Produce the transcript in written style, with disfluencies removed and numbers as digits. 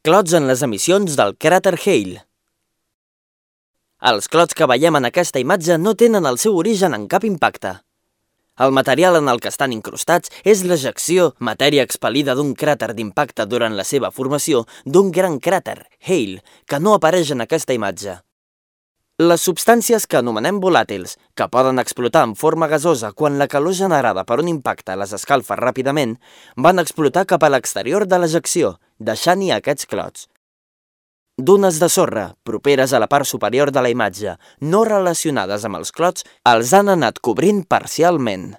Clots en les emissions del cràter Hale. Els clots que veiem en aquesta imatge no tenen el seu origen en cap impacte. El material en el que estan incrustats és l'ejecció, matèria expel·lida d'un cràter d'impacte durant la seva formació d'un gran cràter, Hale, que no apareix en aquesta imatge. Les substàncies que anomenem volàtils, que poden explotar en forma gasosa quan la calor generada per un impacte les escalfa ràpidament, van explotar cap a l'exterior de l'ejecció, deixant-hi aquests clots. Dunes de sorra, properes a la part superior de la imatge, no relacionades amb els clots, els han anat cobrint parcialment.